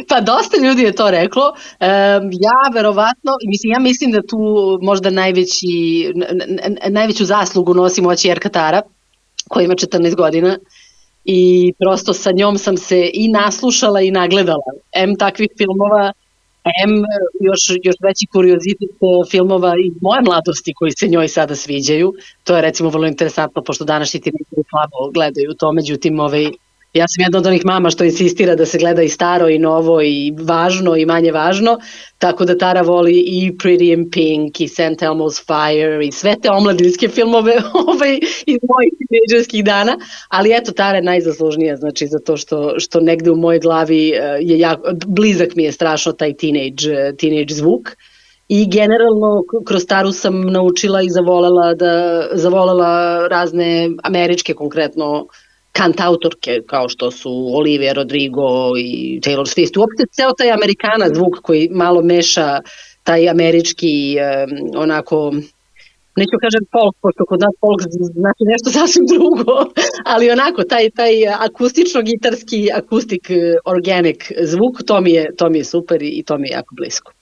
Pa dosta ljudi je to reklo. Ja verovatno, ja mislim da tu možda najveću zaslugu nosi moći Erka Tara, koja ima 14 godina i prosto sa njom sam se i naslušala i nagledala. Takvih filmova, još veći kuriozitet filmova iz moje mladosti koji se njoj sada sviđaju. To je recimo vrlo interesantno, pošto današnji teenageri slabo gledaju to, međutim ja sam jedna od onih mama što insistira da se gleda i staro i novo i važno i manje važno, tako da Tara voli i Pretty in Pink i St. Elmo's Fire i sve te omladinske filmove iz mojih tinejdžerskih dana, ali eto, Tara je najzaslužnija, znači zato što negde u mojoj glavi je blizak mi je strašno taj teenage zvuk. I generalno kroz Taru sam naučila i zavolela razne američke konkretno kantautorke kao što su Olivia Rodrigo i Taylor Swift. Uopšte ceo taj Amerikana zvuk koji malo meša taj američki onako, neću kažem folk, pošto kod nas folk znači nešto sasvim drugo, ali onako taj akustično-gitarski, akustik organic zvuk, to mi je super i to mi je jako blisko.